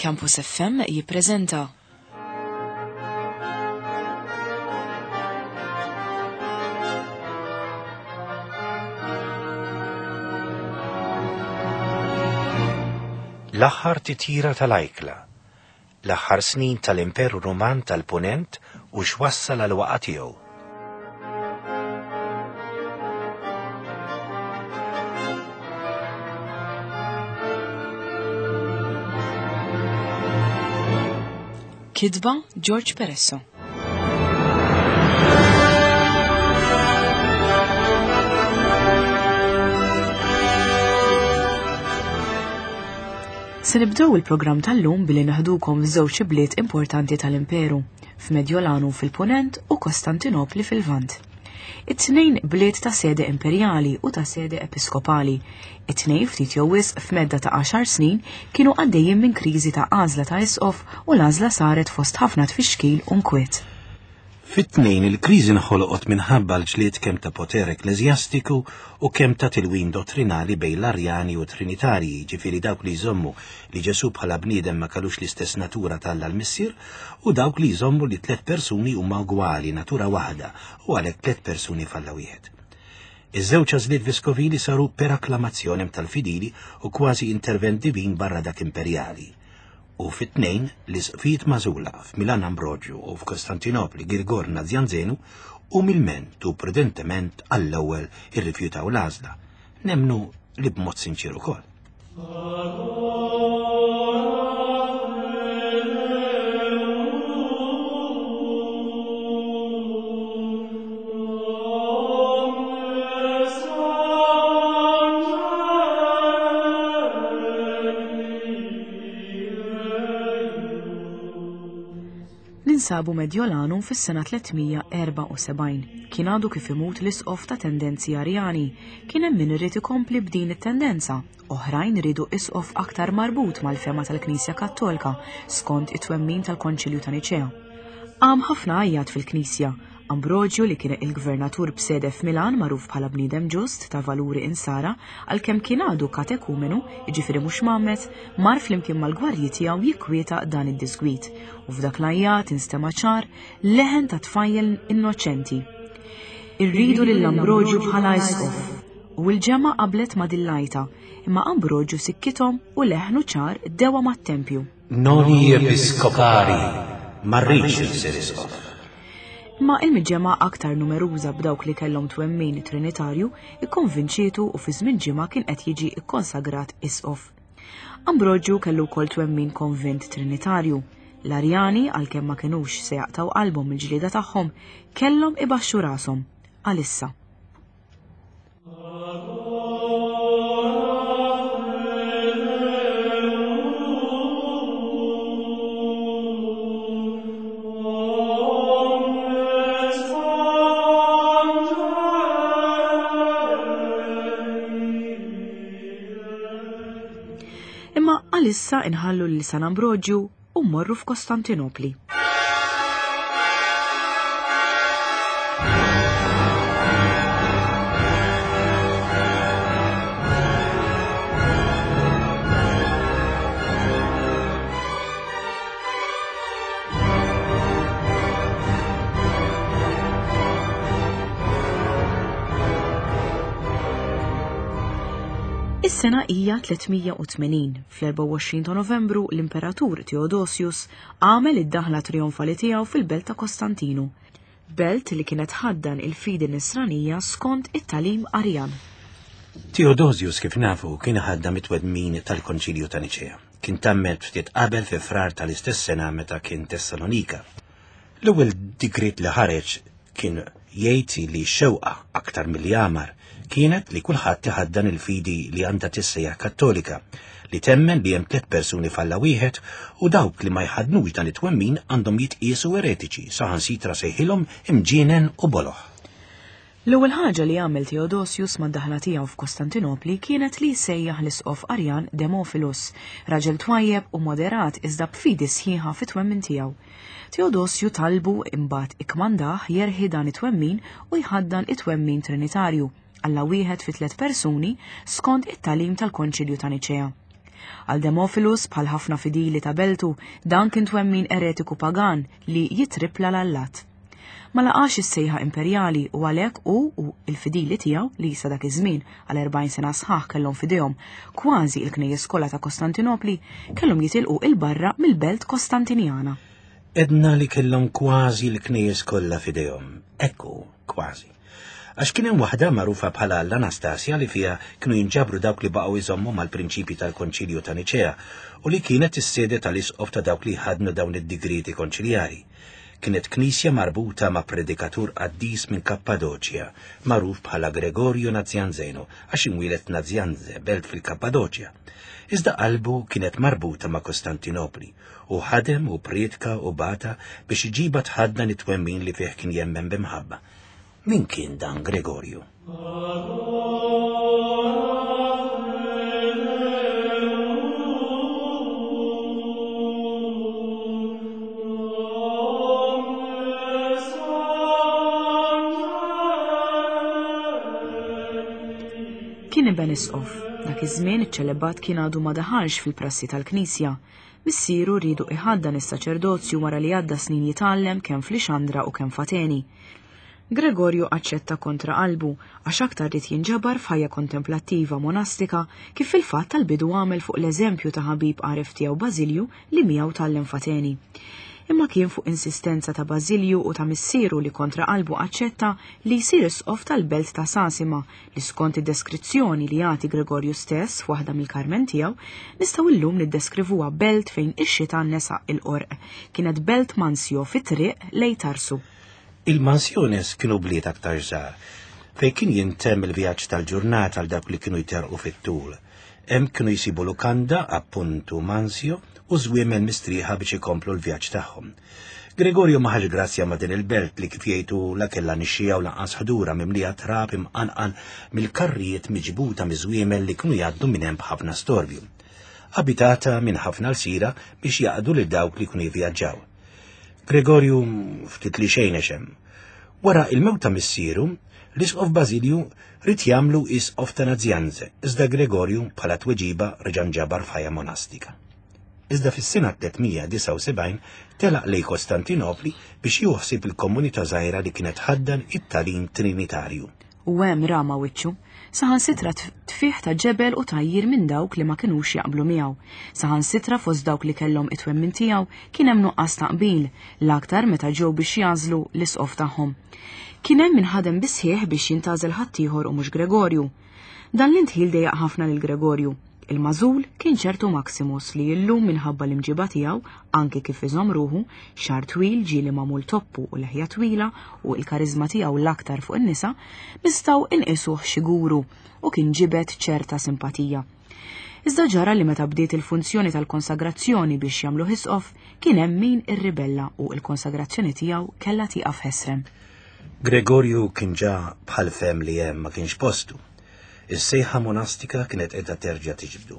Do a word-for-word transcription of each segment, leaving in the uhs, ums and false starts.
Campus F M jippreżenta L-aħħar titjira tal-ajkla, l-aħħar snin tal-Imperu Ruman tal-Punent u x'wassal għal waqgħa tiegħu. Kitba George Peresso. Se nibdew il-programm tal-lum billi naħdukom f'żewġ bliet importanti tal-Imperu, f'Medjolanu fil-Punent u Kostantinopli fil-Lvant. It-tnejn bliet ta' sede imperjali u ta' sede episkopali. It-tnejn ftit jew wisq f'medda ta' għaxar snin kienu għaddejjin minn kriżi ta' għażla ta' isqof u l-għażla saret fost ħafna tfixkil u nkwiet. Fit-tnejn il-kriżi nħolqot minħabba l-ġlied kemm ta' poter ekkleżjastiku u kemm ta' tilwim dottrinali bejn l-Arjani u Trinitarji, ġifieri dawk li jżommu li Ġesù bħala bniedem ma kellux l-istess natura t'Alla l-Missier u dawk li jżommu li tliet persuni huma ugwali, natura waħda, u għalhekk tliet persuni f'Alla wieħed. Iż-żewġ għażliet veskovili saru per akklamazzjonem tal-fidili u kważi intervent divin barra dak imperjali. U fit-tnejn l-isqfijiet magħżula f'Milan Ambrogio u f'Kostantinopli Girgor Nazjanzenu umilment u prudentement għall-ewwel irrifjutaw l-għażla. Nemmnu li b'mod sinċier ukoll. Ninsabu Medjolanu fis-sena tliet mija erbgħa u sebgħin. Kien għadu kif imut l-isqof ta' tendenzi Arjani. Kien hemm min irid ikompli b'din it-tendenza. Oħrajn iridu isqof aktar marbut mal-fema tal-Knisja Kattolika skont it-twemmin tal-Konċilju ta' Niċea. Qam ħafna għajjat fil-Knisja. Ambrogio, li kien il-gvernatur b'sede f'Milan, magħruf bħala bniedem ġust ta' valuri insara, għalkemm kien għadu katekumenu, jiġifieri mhux mgħammed, mar flimkien mal-gwardji tiegħu jikkwieta dan id-disgwit. U f'dak l-għajjat instema' ċar leħen ta' tfajjel innoċenti: "Irridu lil Ambrogio bħala isqof." U l-ġemgħa qablet ma' dil-għajta, imma Ambrogio sikkithom u leħnu ċar dewa mat-tempju. "Noli episcopari, ma rridx insir isqof." Ma il-miġemgħa aktar numeruża b'dawk li kellhom twemmin trinitarju ikkonvinċietu u fi żmien ġimgħa kien qed jiġi ikkonsagrat isqof. Ambrogio kellu wkoll twemmin konvint trinitarju. L-Arjani, għalkemm ma kinux se jaqtaw qalbhom il-ġlieda tagħhom, kellhom ibaxxu rashom għalissa. Imma għalissa inħallu lil San Ambrogio u mmorru f'Kostantinopli. Is-sena hija tliet mija u tmenin. Fl-erbgħa u għoxrin ta' Novembru l-Imperatur Theodosius għamel id-daħla trionfali tiegħu fil-belt ta' Kostantinu, belt li kienet tħaddan il-fidi nisranija skont it-tagħlim Arjan. Theodosius, kif nafu, kien ħaddam it-twemmin tal-Konċilju ta' Niċea. Kien tgħammed ftit qabel fi Frar tal-istess sena meta kien Tessalonika. L-ewwel digriet li ħareġ kien jgħid li xewqa aktar milli amar kienet li kulħadd iħaddan il-fidi li għandha tissejjaħ Kattolika, li temmen li hemm tliet persuni f'Alla wieħed, u dawk li ma jħadnux dan it-twemmin għandhom jitqiesu eretiċi, saħansitra sejħilhom imġienen u boloh. L-ewwel ħaġa li għamel Theodosius mad-daħla tiegħu f'Kostantinopli kienet li jsejjaħ l-isqof Arjan Demofilus, raġel twajjeb u moderat iżda b'fidi sħiħa fit-twemmin tiegħu. Teodosju talbu imbagħad ikkmandah jerħi dan it-twemmin u jħaddan it-twemmin trinitarju, Alla wieħed fi tliet persuni, skont it-tagħlim tal-Konċilju ta' Niċea. Għal Demofilus, bħal ħafna fidili ta' beltu, dan kien twemmin eretiku pagan li jitripla l-allat. Ma laqax is-sejħa imperjali u għalhekk hu u l-fidili tiegħu li sa dak iż-żmien għal erbgħin sena sħaħ kellhom f'idejhom kważi l-knejjes kollha ta' Kostantinopli kellhom jitilqu 'il barra mill-belt Kostantinjana. Edna li kellhom kważi l-knejjes kollha f'idejhom, ekku kważi. Għax kien hemm waħda magħrufa bħala l-Anastasia li fiha kienu jinġabru dawk li baqgħu jżommu mal-prinċipji tal-Konċilju ta' Niċea u li kienet is-sede tal-isqof ta' dawk li ħadnu dawn id-digrieti konċiljari. Kienet knisja marbuta ma' predikatur qaddis minn Kappadoċja, magħruf bħala Gregorju Nazjanzeno, għax imwieled Nazjanze, belt fil-Kappadoċja. Iżda qalbu kienet marbuta ma' Kostantinopli u ħadem u prietka u bata biex iġiba tħaddan it-twemmin li fih kien jemmen b'imħabba. Min kien dan Gregorju? Kien iben isqof. Dak iż-żmien iċ-ċelebat kien għadu ma daħalx fil-prassi tal-Knisja. Missieru riedu iħaddan is-saċerdozju wara li għadda snin jitgħallem kemm f'Lixandra u kemm f'Ateni. Gregorju aċċetta kontra qalbu għax aktar ried jinġabar f'ħajja kontemplattiva monastika kif fil-fatt tal-bidu għamel fuq l-eżempju ta' ħabib għaref tiegħu Bażilju li miegħu tgħallem f'Ateni. Imma kien fuq insistenza ta' Bażilju u ta' missieru li kontra qalbu aċċetta li jsir isqof tal-belt ta' Sasima li skont id-deskrizzjoni li jagħti Gregorju stess f'waħda mill-karmen tiegħu nistgħu llum niddeskrivuha belt fejn ix-xita nesaq il-qorq. Kienet belt mansjo fit-triq lejn Tarsu. Il-mansjones kienu bliet aktar żgħar, fejn kien jintemm il-vjaġġ tal-ġurnata għal dawk li kienu jterqu fit-tul. Hemm kienu jsibu lukanda, appuntu mansjo, u żwiemel mistrieħa biex ikomplu l-vjaġġ tagħhom. Gregorju ma ħax grazzja ma' din il-belt li kif jgħidu la kellha nixxija u lanqas ħdura mimlija trab imqanqal mill-karrijiet miġbuta miż-żwiemel li kienu jgħaddu minn hemm b'ħafna storbju. Abitata minn ħafna lsira biex jaqdu lil dawk li kienu jivvjaġġaw. Gregorju ftit li xejn għex hemm. Wara il-mewt ta' missieru, l-isqof Bażilju ried jagħmlu isqof ta' Nazjanze, iżda Gregorju bħala tweġiba reġa' nġabar f'ħajja monastika. Iżda fis-sena tliet mija disgħa u sebgħin telaq lejn Kostantinopli biex juħsib il-komunità żgħira li kienet ħaddan it-tagħlim Trinitarju. U hemm rama wiċċu, saħansitra tfih ta' ġebel u tajjir minn dawk li ma kinux jaqblu miegħu. Saħansitra fost dawk li kellhom it-twemmin tiegħu kien hemm nuqqas ta' qbil, l-aktar meta ġew biex jażlu l-isqof tagħhom. Kien hemm min ħadem bisħieħ biex jintgħażel ħaddieħor u mhux Gregorju. Dan l-intħil dejjaq ħafna lil Gregorju. Il-mażul kien ċertu Maximus li illum minħabba l-imġiba tiegħu, anke kif iżomm ruħu, xagħar twil ġieli magħmul toppu u leħja twila u l-karizma tiegħu l-aktar fuq in-nisa, nistgħu inqisuh xi guru u kien ġibed ċerta simpatija. Iżda ġara li meta bdiet il-funzjoni tal-konsagrazzjoni biex jagħmlu isqof, kien hemm min irribella u l-konsagrazzjoni tiegħu kellha tieqaf ħesrem. Gregorju kien ġa bħal fem li hemm ma kienx postu. Is-sejħa monastika kienet qiegħda terġa' tiġbdu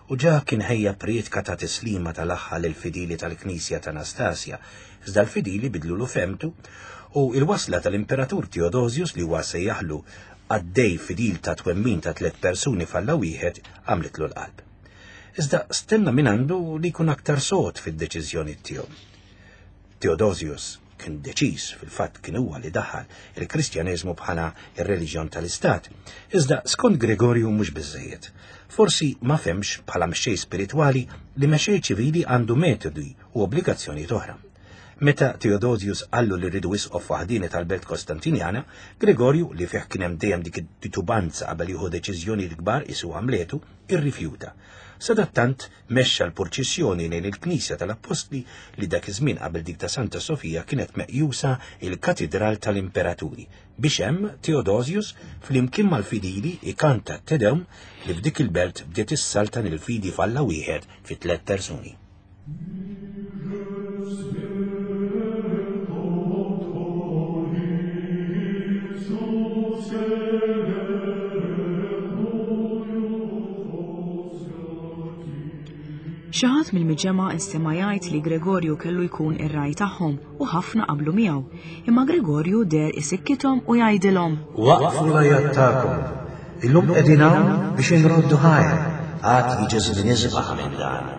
u ġa kien ħejja prietka ta' tislima tal-aħħa lill-fidili tal-Knisja ta' Anastasia, iżda l-fidili bidlulu femtu u il-wasla tal-Imperatur Theodosius li huwa sejjaħlu għaddej fidil ta' twemmin ta' tliet persuni f'Alla wieħed għamlitlu l-qalb. Iżda stenna minn għandu li jkun aktar sod fid-deċiżjoni tiegħu. Theodosius kien deċiż, fil-fatt kien huwa li daħal il-Kristjaneżmu bħala ir-reliġjon tal-Istat. Iżda skont Gregorju mhux biżżejjed. Forsi ma femx bħala mexxej spiritwali li mexxej ċivili għandu metodi u obbligazzjonijiet oħra. Meta Theodosius qallu li rridu isqof waħdini tal-belt Kostantinjana, Gregorju, li fih kien hemm dejjem dik it-titubanza qabel jieħu deċiżjonijiet kbar isu għamletu, irrifjuta. Sadattant mexxa l-purċissjoni lejn il-Knisja tal-Appostli li dak iż-żmien qabel dik ta' Santa Sofija kienet meqjusa il-Katidral tal-Imperaturi, biex hemm Theodosius flimkien mal-fidili ikanta Te Deum li f'dik il-belt bdiet issaltan il-fidi f'Alla wieħed fi tliet persuni. Xi ħadd mill-miġemgħa instema' jgħid li Gregorju kellu jkun ir-raj tagħhom u ħafna qablu miegħu. Imma Gregorju deher isikkithom u jgħidilhom: Waqfu l-għajat tagħkom. Illum qegħdin hawn biex inroddu ħajr Għad jiġi żmien isbaħ minn dan.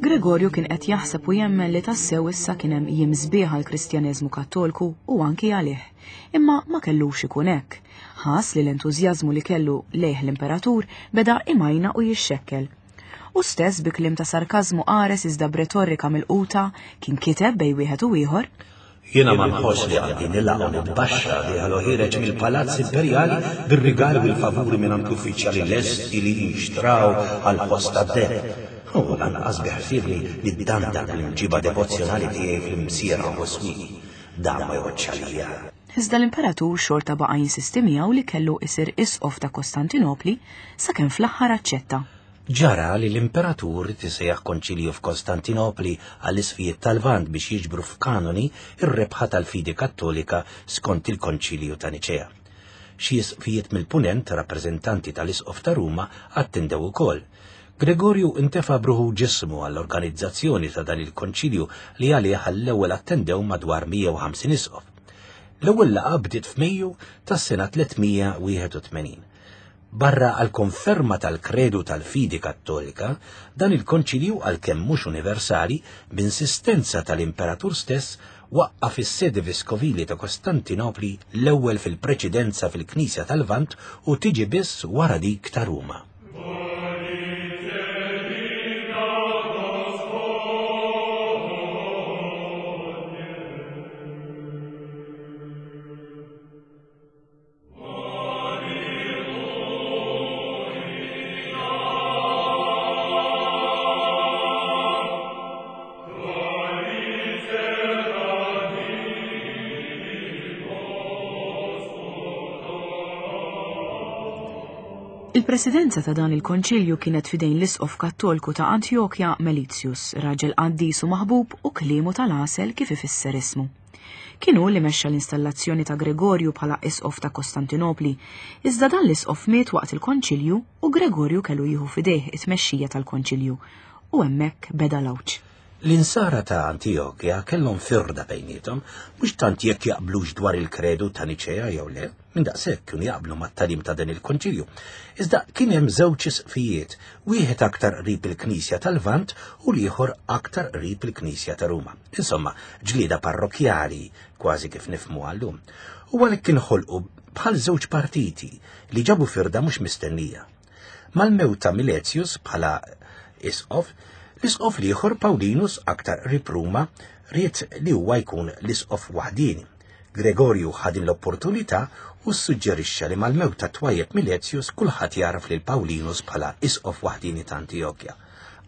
Gregorju kien qed jaħseb u jemmen li tassew issa kien hemm jiem sbieħ għall-Kristjaneżmu Kattolku u anki għalih. Imma ma kellux ikun hekk. Ħass li l-entużjażmu li kellu lejh l-imperatur beda imajna u jixxekkel. U stess bi kliem ta' sarkażmu qares iżda b'retorika milquta kien kiteb bejn wieħed u ieħor: Jiena ma nħoss li għandi nilgħaq u nitbaxxa li ħalu ħiereġ mill-palazz imperjali bir-rigali u l-favuri mingħand l-uffiċjali lesti li jinxtraw għall-ħoss tad-deheb. U lanqas biħsiebni niddandar bl-imġiba devozzjonali tiegħi fl-imsiera u swieq. Dan ma jgħoddx għalija. Iżda l-imperatur xorta baqa' jinsisti miegħu li kellu isir isqof ta' Kostantinopli sakemm fl-aħħar aċċetta. Ġara li l-imperatur tisejjaħ konċilju f'Kostantinopli għall-isfijiet tal-Lvant biex jiġbru f'kanoni ir-rebħa tal-fidi Kattolika skont il-Konċilju ta' Niċea. Xi isqfijiet mill-Punent, rappreżentanti tal-Isqof ta' Ruma, attendew ukoll. Gregorju intefa' bruħu ġismu għall-organizzazzjoni ta' dan il-konċilju li għalih għall-ewwel attendew madwar mija u ħamsin isqof. L-ewwel laqgħa bdiet f'Mejju tas-sena tliet mija wieħed u tmenin. Barra għal konferma tal-kredu tal-fidi Kattolika, dan il-konċilju, għalkemm mhux universali, b'insistenza tal-imperatur stess, waqqaf is-sede veskovili ta' Kostantinopli l-ewwel fil-preċedenza fil-Knisja tal-Lvant u tiġi biss wara dik ta' Ruma. Il-presidenza ta' dan il-konċilju kienet fidejn l-isqof Kattolku ta' Antjokja Melitius, raġel qaddis u maħbub u kliemu tal-għasel kif ifisser ismu. Kien hu li mexxa l-installazzjoni ta' Gregorju bħala isqof ta' Kostantinopli, iżda dan l-isqof miet waqt il-konċilju u Gregorju kellu jieħu fidejh it-tmexxija tal-konċilju, u hemmhekk beda l-għawġ. L-insara ta' Antjokja kellhom firda bejniethom, mhux tant jekk jaqblux dwar il-kredu ta' Niċea jew le, minn daqshekk kienu jaqblu mat-tagħlim ta' dan il-konċilju. Iżda kien hemm żewġ isqfijiet, wieħed aktar qrib il-Knisja tal-Lvant u l-ieħor aktar qrib il-Knisja ta' Ruma. Insomma, ġlieda parrokjali, kważi kif nifhmu għallum. U għalhekk inħolqu bħal żewġ partiti li ġabu firda mhux mistennija. Mal-mewt ta' Miletius bħala isqof, l-isqof l-ieħor Paulinus aktar qrib Ruma ried li huwa jkun l-isqof waħdieni. Gregorju ħa din l-opportunità u ssuġġerixxa li mal-mewt ta' twajjeb Miletius kulħadd jaraf lil Paulinus bħala isqof waħdieni ta' Antjokja.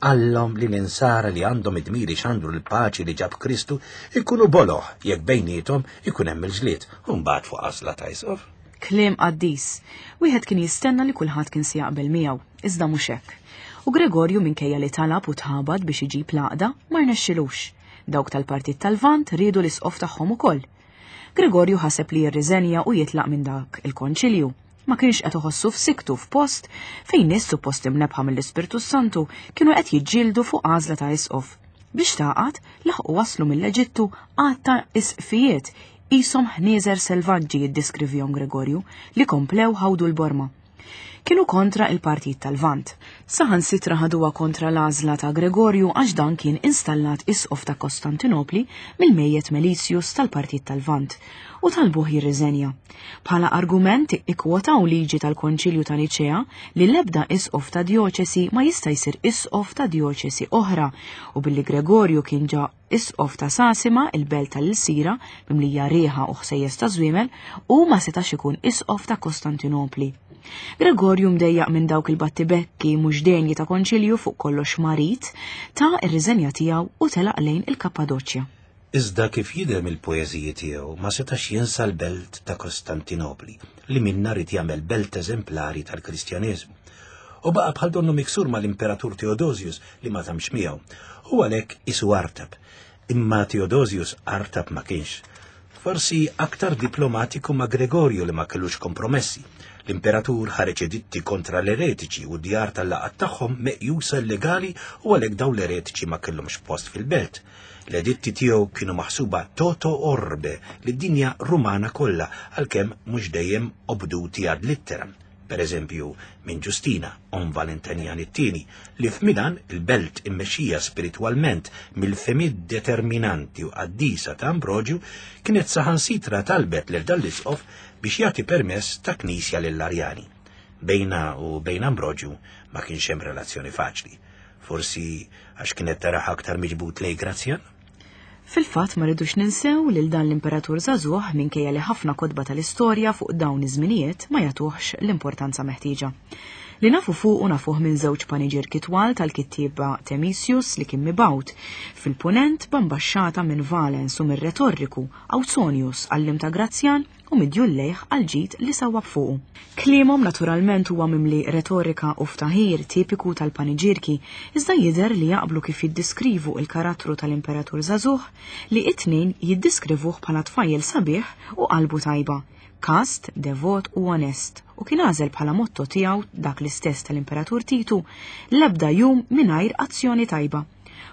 Qallhom li l-insara li għandhom id-dmir ixandru l-paċi li ġab Kristu ikunu boloh jekk bejniethom ikun hemm il-ġlied, u mbagħad fuq għażla ta' isqof. Kliem qaddis. Wieħed kien jistenna li kulħadd kien se jaqbel miegħu, iżda mhux hekk. U Gregorju minkejja li talab u tħabad biex iġib l-għaqda ma rnexxilux. Dawk tal-Partit tal-Lvant riedu l-isqof tagħhom ukoll. Gregorju ħaseb li jirriżenja u jitlaq minn dak il-konċilju. Ma kienx qed iħossu f'siktu f'post fejn nies suppost imnebħa mill-Ispirtu Santu kienu qed jiġġieldu fuq għażla ta' isqof. Biex taqgħad laħqu waslu mill-Eġittu għadd ta' isqfijiet qishom ħnieżer selvaġġi jiddiskrivihom Gregorju li komplew ħawdu l-borma. Kienu kontra il-Partit tal-Lvant. Saħansitra ħaduha kontra l-għażla ta' Gregorju għax dan kien installat isqof ta' Kostantinopli mill-mejjet Melitius tal-Partit tal-Lvant u talbuh jirriżenja. Bħala argument ikkwotaw liġi tal-Konċilju ta' Niċea li l-ebda isqof ta' djoċesi ma jista' jsir isqof ta' djoċesi oħra, u billi Gregorju kien ġa isqof ta' Sasima, il-belt tal-Ilsira, mimlija riħa u ħsejjes ta' żwiemel, u ma setax ikun isqof ta' Kostantinopli. Gregorju mdejjaq minn dawk il-battibekki mhux denji ta' konċilju fuq kollox marit, ta' ir-riżenja tiegħu u telaq lejn il-Kappadoċja. Iżda kif jidher mill-poeżiji tiegħu ma setax jinsa l-belt ta' Kostantinopli li minna rid jagħmel belt eżemplari tal-Kristjaneżmu. U baqa' bħal donnu miksur mal-Imperatur Theodosius li ma tamx miegħu, u għalhekk isu artab. Imma Theodosius artab ma kienx. Forsi aktar diplomatiku ma' Gregorju li ma kellux kompromessi, L-imperatur ħareġ editti kontra l-eretiċi u d-djar tal-laqgħat tagħhom meqjusa illegali u għalhekk dawn l-eretiċi ma kellhomx post fil-belt. L-editti tiegħu kienu maħsuba toto orbe lid-dinja Rumana kollha, għalkemm mhux dejjem obduti ad litteram. Per eżempju, minn Ġustina, omm Valentinian it-tieni, li f'Milan il-belt immexxija spiritwalment mill-fehmiet determinanti u qaddisa ta' Ambroġju kienet saħansitra talbet lil dan l-isqof biex jagħti permess ta' knisja lill-Arjani. Bejna u bejn Ambroġju ma kienx hemm relazzjoni faċli. Forsi għax kienet taraħ aktar miġbud lej Grazzjan? Fil-fatt ma rridux ninsew lil dan l-imperatur żagħżugħ minkejja li ħafna kotba tal-istorja fuq dawn iż-żminijiet ma jagħtuhx l-importanza meħtieġa. Li nafu fuq u nafuh minn żewġ paniġierki twal tal-kittieba Temisius li kien mibgħut fil-punent b'ambaxxata minn Valens u mir-retorriku Ausonius għallim ta' Grazzjan u midjul lejh għal ġid li sawwab fuqu. Kliemhom naturalment huwa mimli retorika u ftaħir tipiku tal-paniġierki, iżda jidher li jaqblu kif jiddiskrivu il-karattru tal-imperatur żagħżugħ li it-tnejn jiddiskrivuh bħala tfajjel sabiħ u qalbu tajba, kast, devot u onest, u kien għażel bħala motto tiegħu dak l-istess tal-imperatur Titu, l-ebda jum mingħajr azzjoni tajba.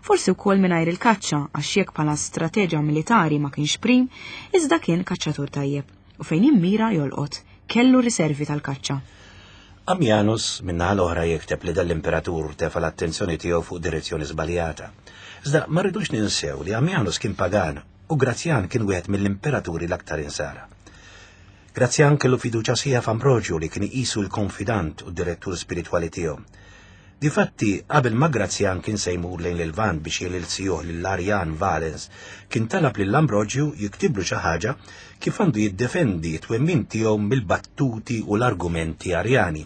Forsi wkoll mingħajr il-kaċċa, għax jekk bħala strateġa militari ma kienx prim, iżda kien kaċċatur tajjeb u fejn jimmira jolqot, kellu riservi tal-kaċċa. Ammianus min-naħa l-oħra jikteb li dal-imperatur tefa l-attenzjoni tiegħu fuq direzzjoni żbaljata. Iżda ma rridux ninsew li Ammianus kien pagan u Grazzjan kien wieħed mill-imperaturi l-aktar insara. Grazzjan kellu fiduċja sħiħa f'Ambroġju li kien iqisu l-konfidant u d-direttur spiritwali tiegħu. Difatti, qabel ma Grazzjan kien se jmur lejn il-Lvant biex jililsijuh lill-Arjan Valens, kien talab lil Ambroġju jiktiblu xi ħaġa kif għandu jiddefendi t-twemmin tiegħu mill-battuti u l-argumenti Arjani.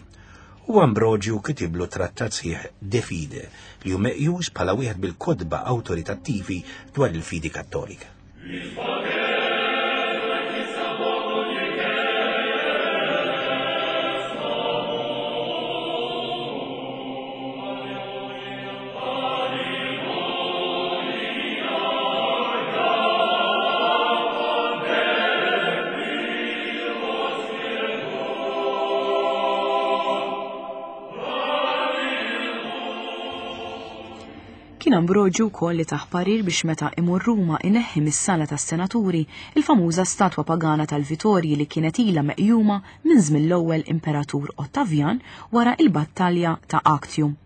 U Ambroġju kitiblu trattat sħiħ De Fide li hu meqjus bħala wieħed bil-kotba awtoritattivi dwar il-fidi Kattolika. Kien Ambroġju wkoll li taħ parir biex meta imur Ruma ineħħi mis-sala tas-senaturi il-famuża statwa pagana tal-Vitorji li kienet ilha meqjuma minn żmien l-ewwel imperatur Ottavjan wara il-battalja ta' Actium.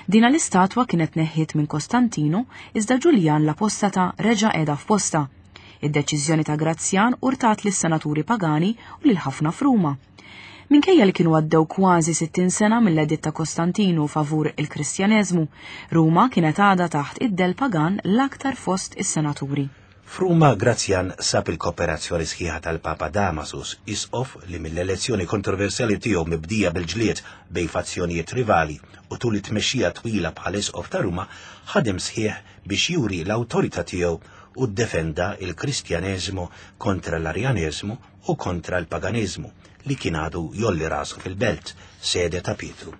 Dina l-istatwa kienet neħħiet minn Kostantino iżda Ġuljan l-Apostata reġa' qiegħda f'posta. Id-deċiżjoni ta' Grazzjan urtat lis-senaturi pagani u lil ħafna f'Ruma. Minkejja li kienu għaddew kważi sittin sena mill-editt ta' Kostantinu favur il-Kristjaneżmu, Ruma kienet għadha taħt id-del pagan l-aktar fost is-senaturi. F'Ruma Grazzjan sab il-kooperazzjoni sħiħa tal-Papa Damasus, isqof li mill-elezzjoni kontroversjali tiegħu mibdija bil-ġlied bejn fazzjonijiet rivali u tul it-tmexxija twila bħal isqof ta' Ruma ħadem sħiħ biex juri l-awtorità tiegħu u ddefenda il-Kristjaneżmu kontra l-Arjaneżmu u kontra l-paganiżmu li kien għadu jolli rasu fil-belt, sede ta' Pietru.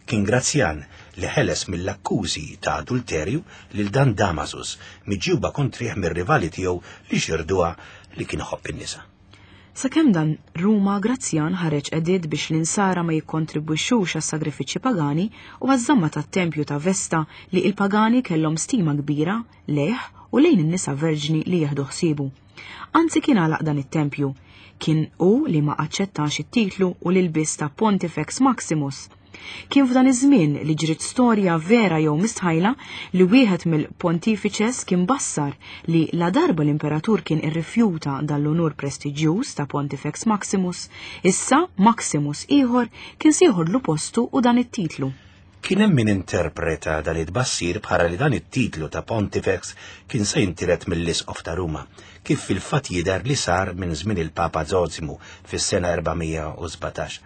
Kien Grazzjan li ħeles mill-akkużi ta' adulterju lil dan Damasus miġjuba kontrih mir-rivali tiegħu li xirduha li kien iħobb in-nisa. Sakemm dan Ruma, Grazzjan ħareġ editt biex l-insara ma jikkontribwixxux għas-sagrifiċċji pagani u għaż-żamma tat-tempju ta' Vesta li il-pagani kellhom stima kbira lejh u lejn in-nisa verġni li jieħdu ħsiebu. Anzi kien għalaq dan it-tempju. Kien hu li ma aċċettax it-titlu u l-ilbies ta' Pontifex Maximus. Kien f'dan iż-żmien li ġriet storja vera jew mistħajla li wieħed mill-pontifiċes kien bassar li la darba l-imperatur kien irrifjuta dan l-unur prestiġjuż ta' Pontifex Maximus, issa Maximus ieħor kien se jieħodlu postu u dan it-titlu. Kien hemm min interpreta dan it-tbassir bħala li dan it-titlu ta' Pontifex kien se jintiret mill-Isqof ta' Ruma, kif fil-fatt jidher li sar minn żmien il-Papa Zosimu fis-sena erba' mija u sbatax.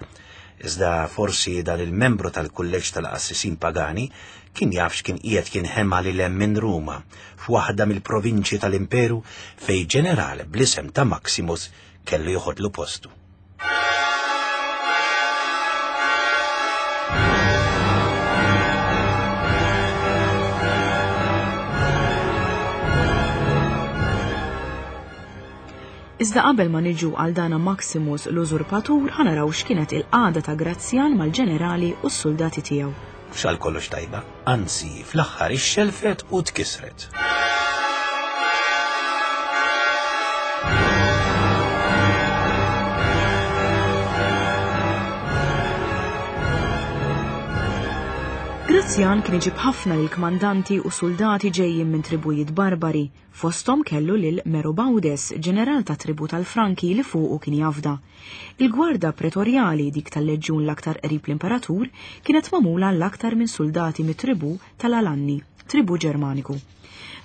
Iżda forsi dan il-membru tal-kulleġġ tal-qassisin pagani kien jaf x'kien qiegħed jinħema lil hemm minn Ruma f'waħda mill-provinċji tal-Imperu fejn ġeneral bl-isem ta' Maximus kellu joħodlu postu. Iżda qabel ma niġu għal dana Maximus l-użurpatur ħa naraw x'kienet il-qagħda ta' Grazzjan mal-ġenerali u s-soldati tiegħu. Mhux għal kollox tajba, anzi fl-aħħar ixxelfet u tkisret. Grazzjan kien iġib ħafna lil kmandanti u soldati ġejjin minn tribujiet barbari, fosthom kellu lil Merobaudes, ġeneral ta' tribu tal-Franki li fuqu kien jafda. Il-gwarda pretorjali dik tal-leġjun l-aktar qrib l-imperatur kienet magħmula l-aktar minn soldati mit-tribu tal-Alanni, tribu Ġermaniku.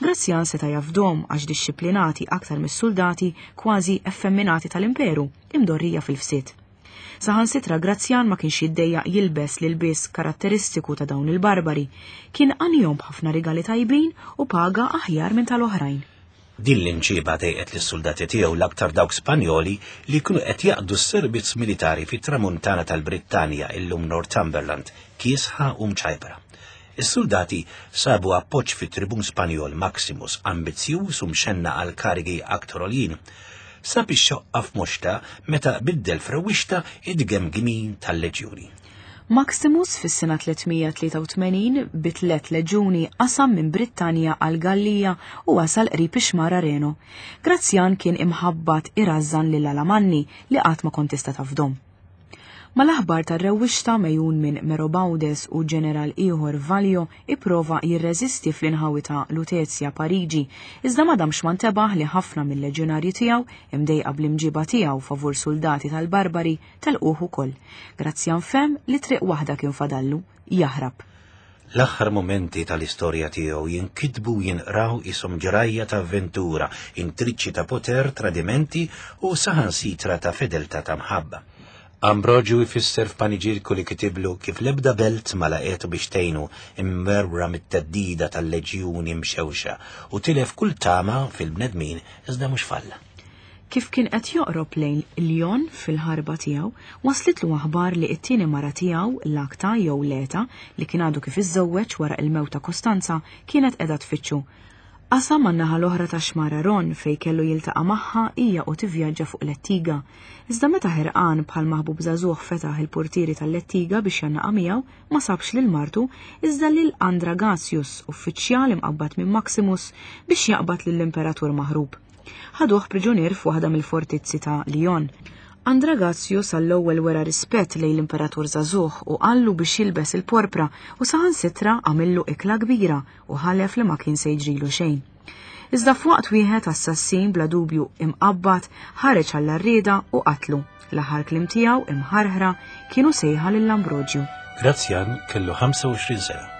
Grazzjan seta' jafdom għax dixxiplinati aktar mis-soldati kważi effemminati tal-imperu, imdorrija fil-fsied. Saħansitra Grazzjan ma kienx jiddejjaq jilbes l-ilbies karatteristiku ta' dawn il-barbari, kien għanihom b'ħafna rigali tajbin u paga aħjar minn tal-oħrajn. Din l-imġiba dejqet lis-soldati tiegħu l-aktar dawk Spanjoli li kienu qed jaqdu s-servizz militari fit-tramuntana tal-Brittanja illum Northumberland, kiesħa u mċajpra. Is-soldati sabu appoġġ fit-tribun Spanjol Maximus, ambizzjuż u mxenna għal karigi aktar għoljin. Sab ix-xoqqa f'moxta meta biddel f'rewwixta id-gemgimin tal-leġjuni. Maximus fis-sena tliet mija tlieta u tmenin bi tliet leġjuni qasam minn Brittanja għal Gallija u wasal qrib ix-xmara Reno. Grazzjan kien imħabbat irażżan lil Alamanni li qatt ma kont tista' tafdom. Mal-aħbar tar-rewwixta mejjun minn Merobaudes u ġeneral ieħor Valio ipprova jirreżisti fl-inħawi ta' Lutezja Pariġi, iżda ma damx ma ntebaħ li ħafna mill-leġjonarji tiegħu imdejqa bl-imġiba tiegħu favur soldati tal-barbari telquh ukoll. Grazzjan fem li triq waħda kien fadallu, jaħrab. L-aħħar momenti tal-istorja tiegħu jinkitbu u jinqraw ishom ġrajja ta' avventura, intriċċi ta' poter, tradimenti u saħansitra ta' fedeltà ta' mħabba. Ambrogio jfisser f'paniġirku li kitiblu kif l-ebda belt ma laqetu biex tgħinu imwerwra mit-theddida tal-leġjuni mxewxa u tilef kull tama fil-bnedmin iżda mhux falla. Kif kien qed joqrob lejn Lyon fil-ħarba tiegħu, waslitlu aħbar li t-tieni mara tiegħu, Lakta jew Leta, li kien għadu kif iżżewweġ wara il-mewt ta' Kostanza, kienet qiegħda tfittxu. Qasam man-naħa l-oħra ta' xmara Ron fej kellu jiltaqa' magħha hija u tivvjaġġa fuq lettiga. Iżda meta ħerqan bħal maħbub żagħżugħ fetaħ il-portieri tal-lettiga biex jannaqa' miegħu, ma sabx lil martu iżda lil Andragasius, uffiċjal imqabbad minn Maximus biex jaqbad lill-imperatur maħrub. Ħaduh priġunier f'waħda mill-fortizzi ta' Lyon. Andragasius għall-ewwel wera rispett lejn l-imperatur żagħżugħ u qallu biex jilbes il-porpra u saħansitra għamillu ikla kbira u ħalef li ma kien se jiġrilu xejn. Iżda f'waqt wieħed assassin bla dubju imqabbad ħareġ għall-arrieda u qatlu. L-aħħar kliem tiegħu imħarħra kienu sejħa lil Ambrogio. Grazzjan kellu ħamsa u għoxrin sena.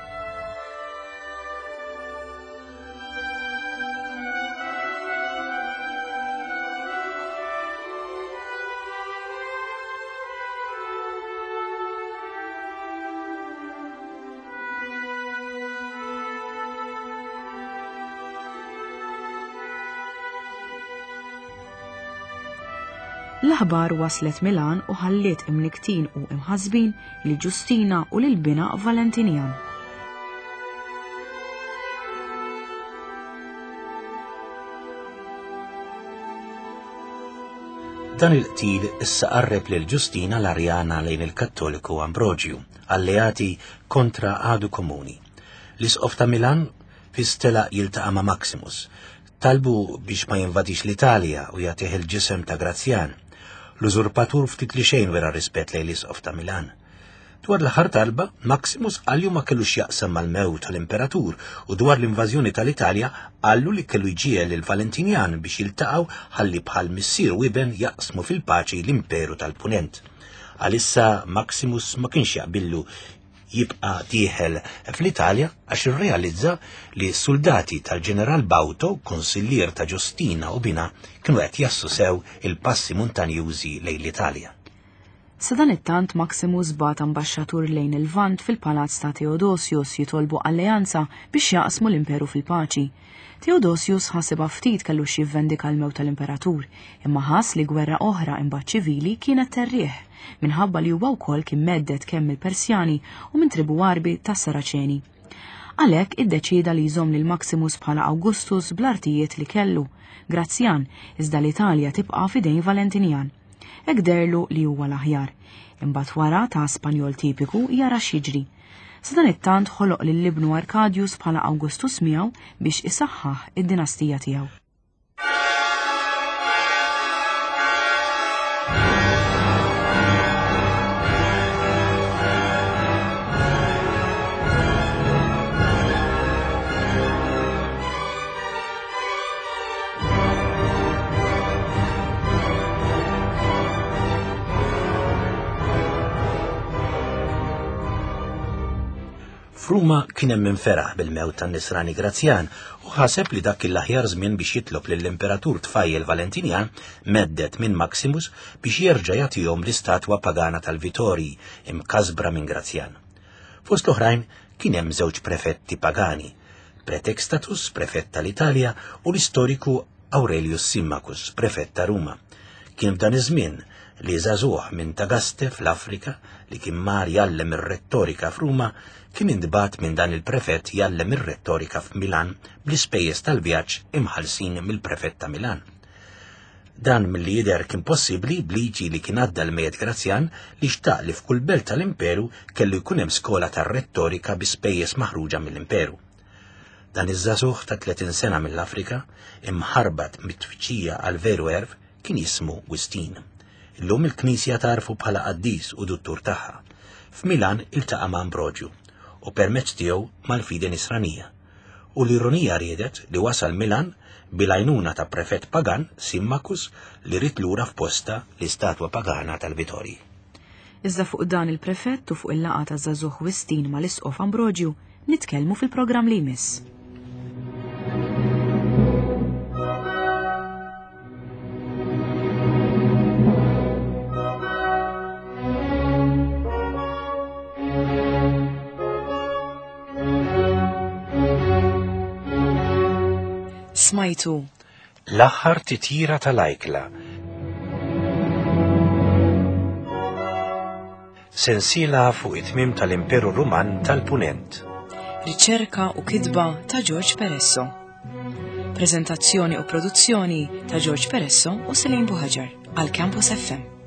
L-aħbar waslet Milan u ħalliet imniktin u imħasbin li Ġustina u lil bina Valentinian. Dan il-qtil issa qarreb lil Ġustina l-Arjana lejn il-Kattoliku Ambrogio, alleati kontra għadu komuni. L-Isqof ta' Milan fistela jiltaqa' ma' Maximus. Talbu biex ma jinvadix l-Italja u jagħtih il-ġisem ta' Grazzjan. L-użurpatur ftit li xejn wera rispett lejn l-Isqof ta' Milan. Dwar l-aħħar talba, Maximus qallu ma kellux jaqsam mal-mewt tal-imperatur u dwar l-invażjoni tal-Italja qallu li kellu jġiegħel lil Valentinian biex jiltaqgħu ħalli bħal missier u iben jaqsmu fil-paċi l-imperu tal-Punent. Għalissa Maximus ma kienx jaqbillu jibqa' dieħel fl-Italja għax irrealizza li s-soldati tal-ġeneral Bauto, konsillier ta' Ġustina u bina, kienu qed jassu sew il-passi montanjużi lejn l-Italja. Sadanittant Maximus bagħat ambaxxatur lejn il-Lvant fil-palazz ta' Theodosius jitolbu alleanza biex jaqsmu l-imperu fil-paċi. Theodosius ħasibha ftit kellu x'jivvendika l-mewt tal-imperatur, imma ħass li gwerra oħra imbagħad ċivili kienet terriħ, minħabba li huwa wkoll kien medded kemm mill-Persjani u minn tribu Għarbi tas-Saraċeni. Għalhekk iddeċieda li jżomm lil Maximus bħala Augustus bl-artijiet li kellu, Grazzjan, iżda l-Italja tibqa' f'idejn Valentinjan. Hekk deherlu li huwa l-aħjar. Imbagħad wara ta' Spanjol tipiku jara x'jiġri. Sadanittant ħoloq lil ibnu Arcadius bħala Augustus miegħu biex isaħħaħ id-dinastija tiegħu. F'Ruma kien hemm min feraħ bil-mewt tan-Nisrani Grazzjan u ħaseb li dak l-aħjar żmien biex jitlob lill-Imperatur tfajjel Valentinjan mhedded minn Maximus biex jerġa' jagħtihom l-istatwa pagana tal-Vitorji imkasbra minn Grazzjan. Fost l-oħrajn kien hemm żewġ prefetti pagani, Pretextatus, prefett tal-Italja, u l-istoriku Aurelius Symmachus, prefett ta' Ruma. Kien f'dan iż-żmien li żagħżugħ minn Tagaste fl-Afrika li kien mar jgħallem ir-rettorika f'Ruma kien intbagħat minn dan il-prefett jgħallem ir-rettorika f'Milan bl-ispejjeż tal-vjaġġ imħallsin mill-prefett ta' Milan. Dan milli jidher kien possibbli b'liġi li kien għadda l-mejjet Grazzjan li xtaq li f'kull belt tal-imperu kellu jkun hemm skola tar-rettorika bi spejjeż maħruġa mill-imperu. Dan iż-żagħżugħ ta' tletin sena mill-Afrika, imħarbat mit-tfittxija għal veru għerf, kien jismu Wistin. Illum il-Knisja tarfu bħala qaddis u duttur tagħha. F'Milan iltaqa' ma' Ambrogju u permezz tiegħu mal-fidi Nisranija. U l-ironija riedet li wasal Milan bil-għajnuna ta' prefett pagan Symmachus li ried lura f'posta l-istatwa pagana tal-Vitorji. Iżda fuq dan il-prefett u fuq il-laqgħa ta' żagħżugħ Wistin mal-Isqof Ambrogju nitkellmu fil-programm li jmiss. Smajtu L-aħħar titjira tal-ajkla. Sensiela fuq it-tmiem tal-Imperu Ruman tal-Punent. Riċerka u kitba ta' George Peresso. Prezentazzjoni u produzzjoni ta' George Peresso u Celine Buhaġar għal Campus F M.